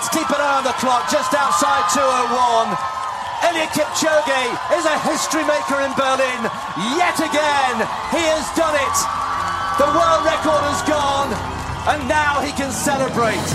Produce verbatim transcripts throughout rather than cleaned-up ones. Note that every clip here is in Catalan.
Let's keep an eye on the clock, just outside two oh one. Eliud Kipchoge is a history maker in Berlin. Yet again, he has done it. The world record has gone, and now he can celebrate.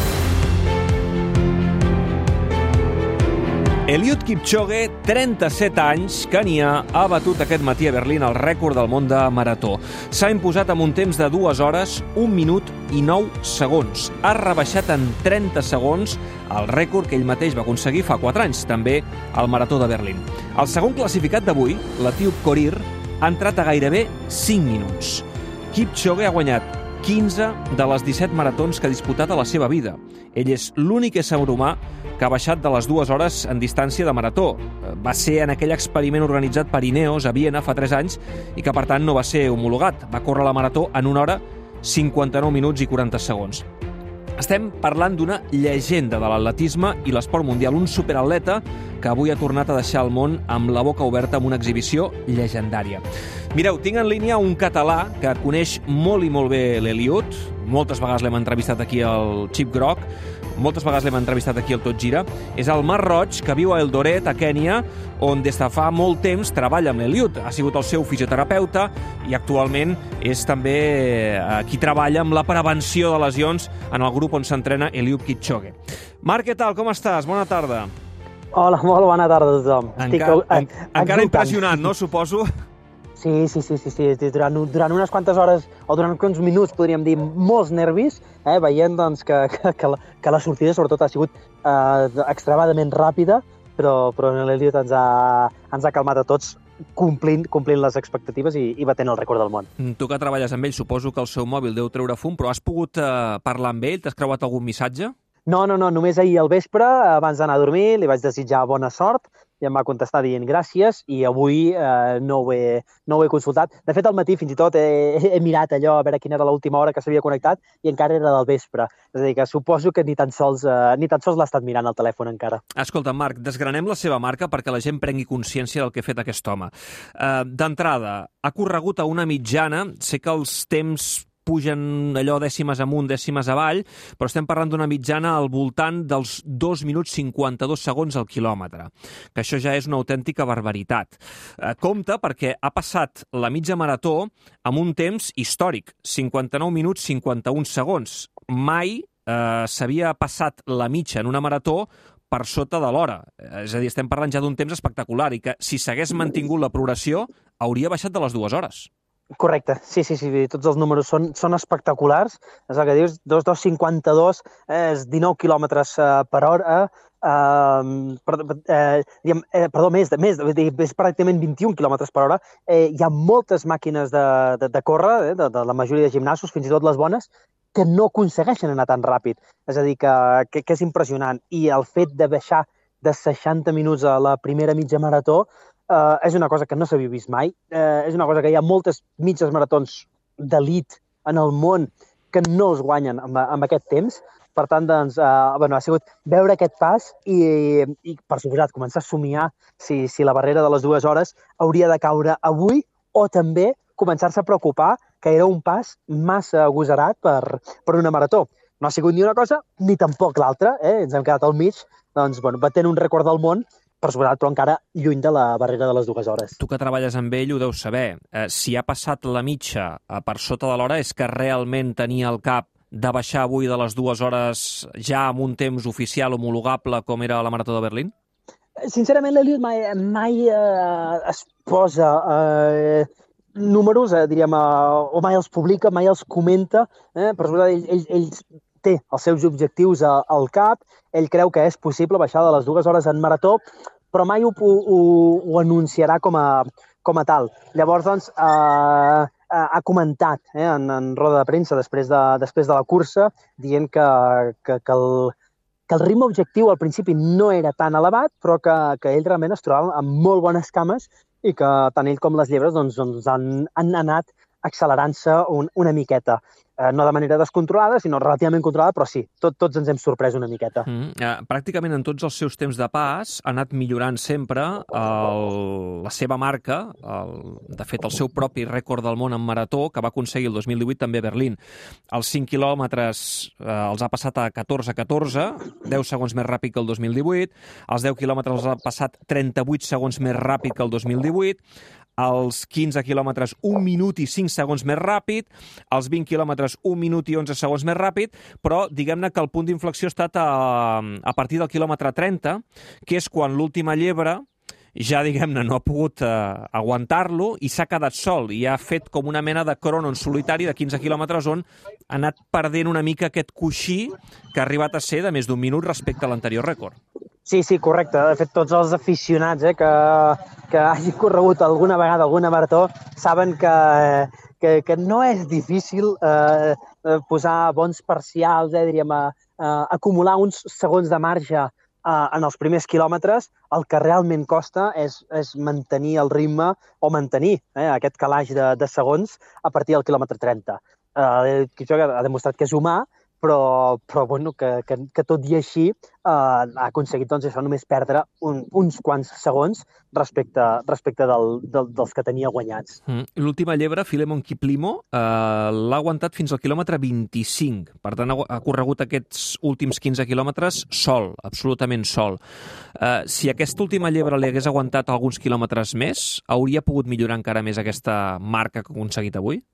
Eliud Kipchoge, trenta-set anys, Kenya, ha batut aquest matí a Berlín el rècord del món de marató. S'ha imposat amb un temps de dues hores, un minut i nou segons. Ha rebaixat en trenta segons el rècord que ell mateix va aconseguir fa quatre anys, també al marató de Berlín. El segon classificat d'avui, l'etíop Korir, ha entrat a gairebé cinc minuts. Kipchoge ha guanyat quinze de les disset maratons que ha disputat a la seva vida. Ell és l'únic ésser humà que ha baixat de les dues hores en distància de marató. Va ser en aquell experiment organitzat per Ineos a Viena fa tres anys i que, per tant, no va ser homologat. Va córrer la marató en una hora, cinquanta-nou minuts i quaranta segons. Estem parlant d'una llegenda de l'atletisme i l'esport mundial, un superatleta que avui ha tornat a deixar el món amb la boca oberta amb una exhibició llegendària. Mireu, tinc en línia un català que coneix molt i molt bé l'Eliud. Moltes vegades l'hem entrevistat aquí al Xip Groc, moltes vegades l'hem entrevistat aquí al Tot Gira. És el Marc Roig, que viu a Eldoret, a Kènia, on des de fa molt temps treballa amb l'Eliud. Ha sigut el seu fisioterapeuta i actualment és també qui treballa amb la prevenció de lesions en el grup on s'entrena Eliud Kipchoge. Marc, què tal? Com estàs? Bona tarda. Hola, molt bona tarda a tothom. Encara, en, encara impressionat, no? Suposo. Sí, sí, sí, sí, sí. Durant, durant unes quantes hores, o durant uns minuts, podríem dir, molts nervis, eh, veient doncs, que, que, que, la, que la sortida, sobretot, ha sigut eh, extremadament ràpida, però, però l'Eliud ens, ha, ens ha calmat a tots, complint, complint les expectatives i, i batent el rècord del món. Tu que treballes amb ell, suposo que el seu mòbil deu treure fum, però has pogut eh, parlar amb ell? T'has creuat algun missatge? No, no, no, només ahir al vespre, abans d'anar a dormir, li vaig desitjar bona sort, i em va contestar dient gràcies, i avui eh, no, ho he, no ho he consultat. De fet, al matí fins i tot he, he mirat allò a veure quina era l'última hora que s'havia connectat i encara era del vespre. És a dir, que suposo que ni tan sols, eh, ni tan sols l'ha estat mirant al telèfon encara. Escolta, Marc, desgranem la seva marca perquè la gent prengui consciència del que ha fet aquest home. Uh, D'entrada, ha corregut a una mitjana, sé que els temps pugen allò dècimes amunt, dècimes avall, però estem parlant d'una mitjana al voltant dels dos minuts cinquanta-dos segons al quilòmetre, que això ja és una autèntica barbaritat. Eh, compte perquè ha passat la mitja marató amb un temps històric, cinquanta-nou minuts cinquanta-un segons. Mai eh, s'havia passat la mitja en una marató per sota de l'hora. És a dir, estem parlant ja d'un temps espectacular i que, si s'hagués mantingut la progressió, hauria baixat de les dues hores. Correcte, sí, sí, sí, tots els números són, són espectaculars. És el que dius, dos coma cinquanta-dos és dinou quilòmetres per hora, eh, per, eh, diguem, eh, perdó, més, més és pràcticament vint-i-un quilòmetres per hora. Eh, hi ha moltes màquines de, de, de córrer, eh, de, de la majoria de gimnasos, fins i tot les bones, que no aconsegueixen anar tan ràpid. És a dir, que, que, que és impressionant. I el fet de baixar de seixanta minuts a la primera mitja marató Uh, és una cosa que no s'havia vist mai. Uh, és una cosa que hi ha moltes mitges maratons d'elit en el món que no es guanyen amb, amb aquest temps. Per tant, doncs, uh, bueno, ha sigut veure aquest pas i, i per suposat, començar a somiar si, si la barrera de les dues hores hauria de caure avui o també començar-se a preocupar que era un pas massa agosarat per, per una marató. No ha sigut ni una cosa ni tampoc l'altra. Eh? Ens hem quedat al mig, doncs, bueno, batent un rècord del món, per suposat, però encara lluny de la barrera de les dues hores. Tu que treballes amb ell ho deus saber. Eh, si ha passat la mitja per sota de l'hora és que realment tenia al cap de baixar avui de les dues hores ja amb un temps oficial homologable com era la Marató de Berlín? Sincerament, l'Eliud mai, mai eh, es posa eh, números, eh, diríem, eh, o mai els publica, mai els comenta. Eh? Per suposat, ell, ell, ell té els seus objectius al cap, ell creu que és possible baixar de les dues hores en marató, però mai ho, ho, ho anunciarà com a, com a tal. Llavors, doncs, eh, ha comentat eh, en, en roda de premsa després de, després de la cursa, dient que, que, que, el, que el ritme objectiu al principi no era tan elevat, però que, que ell realment es trobava amb molt bones cames i que tant ell com les llebres doncs, doncs han, han anat accelerant-se un, una miqueta. eh, no de manera descontrolada, sinó relativament controlada, però sí, tot, tots ens hem sorprès una miqueta. Mm, eh, pràcticament en tots els seus temps de pas ha anat millorant sempre el, la seva marca, el, de fet el seu propi rècord del món en marató, que va aconseguir el dos mil divuit també a Berlín. Els cinc quilòmetres eh, els ha passat a catorze catorze, deu segons més ràpid que el dos mil divuit, els deu quilòmetres els ha passat trenta-vuit segons més ràpid que el dos mil divuit, els quinze quilòmetres un minut i cinc segons més ràpid, els vint quilòmetres un minut i onze segons més ràpid, però diguem-ne que el punt d'inflexió ha estat a, a partir del quilòmetre trenta, que és quan l'última llebre ja, diguem-ne, no ha pogut eh, aguantar-lo i s'ha quedat sol i ha fet com una mena de crono en solitari de quinze quilòmetres on ha anat perdent una mica aquest coixí que ha arribat a ser de més d'un minut respecte a l'anterior rècord. Sí, sí, correcte. De fet, tots els aficionats eh, que, que hagin corregut alguna vegada alguna marató saben que, que, que no és difícil eh, posar bons parcials, eh, diríem, a, a acumular uns segons de marge eh, en els primers quilòmetres. El que realment costa és, és mantenir el ritme o mantenir eh, aquest calaix de, de segons a partir del quilòmetre trenta. Eh, això ha demostrat que és humà, però, però bueno, que, que, que tot i així eh, ha aconseguit doncs, això només perdre un, uns quants segons respecte, respecte del, del, dels que tenia guanyats. Mm. L'última llebre, Filemon Kiplimo, eh, l'ha aguantat fins al quilòmetre vint-i-cinc. Per tant, ha corregut aquests últims quinze quilòmetres sol, absolutament sol. Eh, si aquesta última llebre li hagués aguantat alguns quilòmetres més, hauria pogut millorar encara més aquesta marca que ha aconseguit avui?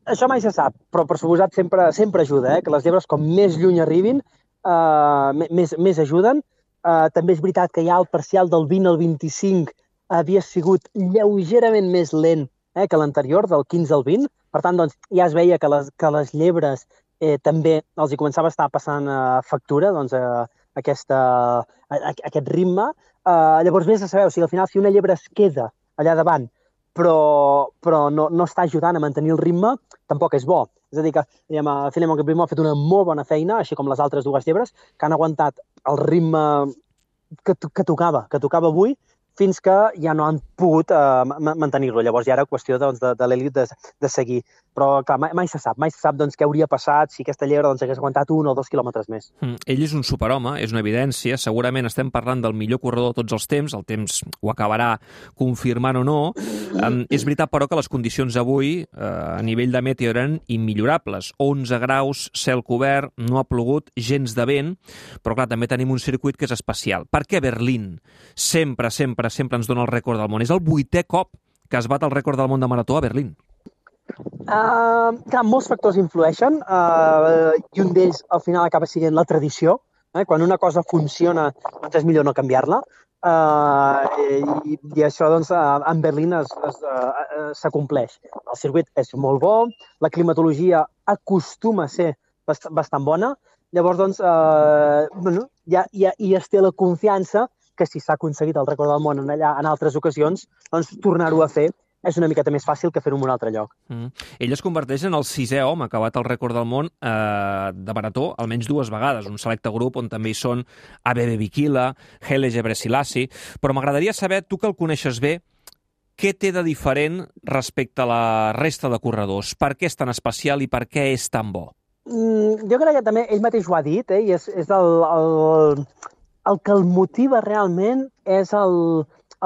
Això mai se sap, però per suposat sempre, sempre ajuda, eh? Que les llebres com més lluny arribin, eh, més, més ajuden. Eh, també és veritat que ja el parcial del vint al vint-i-cinc havia sigut lleugerament més lent eh, que l'anterior, del quinze al vint. Per tant, doncs, ja es veia que les, que les llebres eh, també els hi començava a estar passant eh, factura, doncs, eh, aquesta, a, aquest ritme. Eh, llavors, vés a saber, o sigui, al final, si una llebre es queda allà davant, però, però no, no està ajudant a mantenir el ritme, tampoc és bo. És a dir, que diguem, Filemon Kiplimo ha fet una molt bona feina, així com les altres dues llebres, que han aguantat el ritme que, que tocava, que tocava avui, fins que ja no han pogut uh, mantenir-lo. Llavors ja era qüestió doncs, de, de l'elit de, de seguir. Però clar, mai, mai se sap, mai se sap doncs, què hauria passat si aquesta llebre doncs, hagués aguantat un o dos quilòmetres més. Mm, ell és un superhome, és una evidència. Segurament estem parlant del millor corredor de tots els temps, el temps ho acabarà confirmant o no. Um, és veritat, però, que les condicions avui uh, a nivell de meteo eren immillorables. onze graus, cel cobert, no ha plogut, gens de vent, però clar, també tenim un circuit que és especial. Per què Berlín sempre, sempre sempre ens dona el rècord del món? És el vuitè cop que es bat el rècord del món de marató a Berlín. Uh, clar, molts factors influeixen uh, i un d'ells al final acaba sent la tradició. Eh? Quan una cosa funciona, doncs és millor no canviar-la. Uh, i, I això doncs, en Berlín s'acompleix. El circuit és molt bo, la climatologia acostuma a ser bast bastant bona. Llavors, doncs, uh, bueno, ja, ja, ja es té la confiança que si s'ha aconseguit el rècord del món en, allà, en altres ocasions, doncs tornar-ho a fer és una miqueta més fàcil que fer-ho en un altre lloc. Mm. Ell es converteix en el sisè home que ha bat el rècord del món eh, de marató almenys dues vegades, un selecte grup on també hi són Abebe Bikila, Haile Gebrselassie, però m'agradaria saber, tu que el coneixes bé, què té de diferent respecte a la resta de corredors? Per què és tan especial i per què és tan bo? Mm, jo crec que també ell mateix ho ha dit, eh, i és, és el... el... El que el motiva realment és el,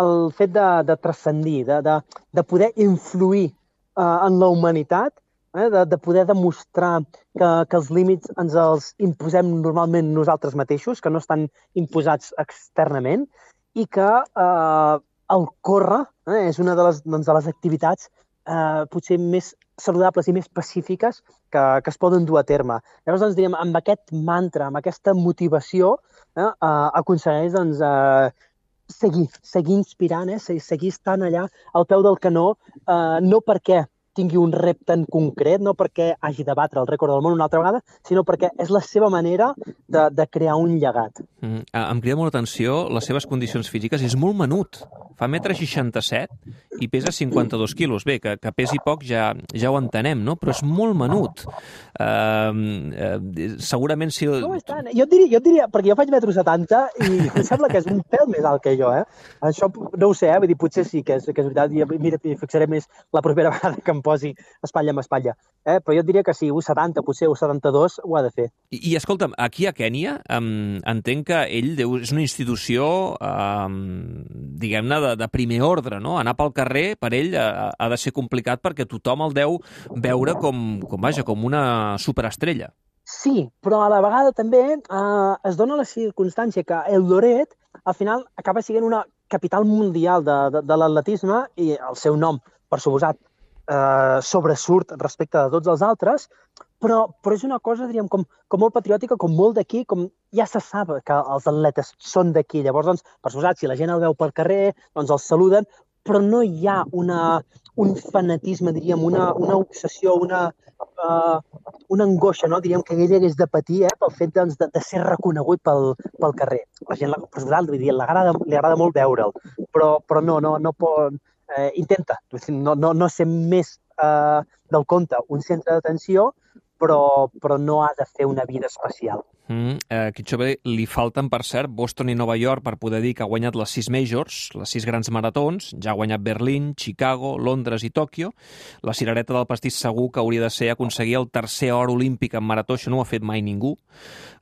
el fet de, de transcendir, de, de, de poder influir uh, en la humanitat, eh, de, de poder demostrar que, que els límits ens els imposem normalment nosaltres mateixos, que no estan imposats externament, i que uh, el córrer eh, és una de les, doncs, de les activitats uh, potser més saludables i més pacífiques que, que es poden dur a terme. Llavors, doncs, diríem, amb aquest mantra, amb aquesta motivació, eh, eh, aconsegueix doncs, eh, seguir, seguir inspirant, eh, seguir estant allà al peu del canó, eh, no perquè tingui un repte en concret, no perquè hagi de batre el rècord del món una altra vegada, sinó perquè és la seva manera de, de crear un llegat. Mm, em crida molt l'atenció les seves condicions físiques. És molt menut. Fa un metre seixanta-set i pesa cinquanta-dos quilos. Bé, que, que pesi poc ja, ja ho entenem, no? Però és molt menut. Uh, uh, segurament si... No és tant. Jo et diria, jo et diria, perquè jo faig metro setanta i em sembla que és un pèl més alt que jo, eh? Això no ho sé, eh? Vull dir, potser sí que és, que és veritat. I mira, hi fixaré més la propera vegada que em posi espatlla amb espatlla. eh? Però jo et diria que sí, u setanta, potser u setanta-dos ho ha de fer. I, i escolta'm, aquí a Kènia um, entenc que ell deu, és una institució, um, diguem-ne, de, de primer ordre, no? Anar pel carrer per ell ha, ha de ser complicat perquè tothom el deu veure com, com, vaja, com una superestrella. Sí, però a la vegada també eh, es dona la circumstància que Eldoret al final acaba sent una capital mundial de, de, de l'atletisme i el seu nom, per suposat, eh, sobresurt respecte de tots els altres, però, però és una cosa, diríem, com, com molt patriòtica, com molt d'aquí, com ja se sap que els atletes són d'aquí. Llavors, doncs, per suposat, si la gent el veu pel carrer, doncs els saluden, però no hi ha una, un fanatisme, diríem, una, una obsessió, una, uh, una angoixa, no? Diríem que ell hagués de patir eh, pel fet doncs, de, de ser reconegut pel, pel carrer. La gent, per suposat, li agrada, li agrada molt veure'l, però, però no, no, no pot... Eh, intenta no, no, no ser més eh, del compte un centre d'atenció, però, però no ha de fer una vida especial. Mm, eh, Kipchoge li falten, per cert, Boston i Nova York per poder dir que ha guanyat les sis majors, les sis grans maratons, ja ha guanyat Berlín, Chicago, Londres i Tòquio. La cirereta del pastís segur que hauria de ser aconseguir el tercer or olímpic en marató, això no ho ha fet mai ningú.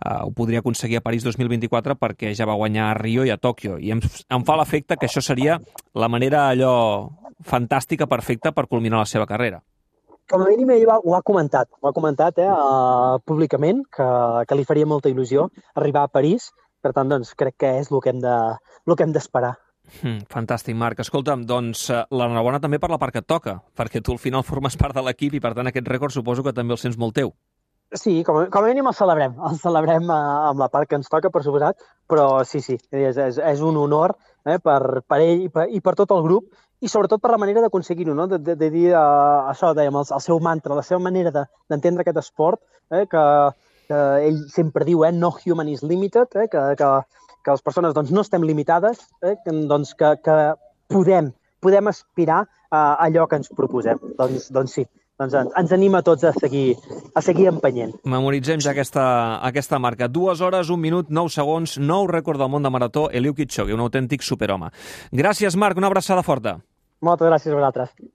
Uh, ho podria aconseguir a París dos mil vint-i-quatre perquè ja va guanyar a Rio i a Tòquio. I em, em fa l'efecte que això seria la manera allò fantàstica, perfecta per culminar la seva carrera. Com a mínim ell ho ha comentat, ho ha comentat eh, uh, públicament, que, que li faria molta il·lusió arribar a París. Per tant, doncs, crec que és el que hem de, el que hem d'esperar. Mm, fantàstic, Marc. Escolta'm, doncs l'enhorabona també per la part que et toca, perquè tu al final formes part de l'equip i, per tant, aquest rècord suposo que també el sents molt teu. Sí, com a, com a mínim el celebrem. El celebrem uh, amb la part que ens toca, per suposat, però sí, sí, és, és, és un honor eh, per, per ell i per, i per tot el grup, i sobretot per la manera d'aconseguir-ho, no? de, de, de dir uh, això, dèiem, el, el seu mantra, la seva manera d'entendre de, aquest esport, eh, que, que ell sempre diu, eh, no human is limited, eh, que, que, que les persones doncs, no estem limitades, eh, que, doncs, que, que podem, podem aspirar a allò que ens proposem. Doncs, doncs sí, doncs ens, ens anima a tots a seguir, a seguir empenyent. Memoritzem ja aquesta, aquesta marca. Dues hores, un minut, nou segons, nou rècord del món de marató, Eliud Kipchoge, un autèntic superhome. Gràcies, Marc, una abraçada forta. Moltes gràcies a vosaltres.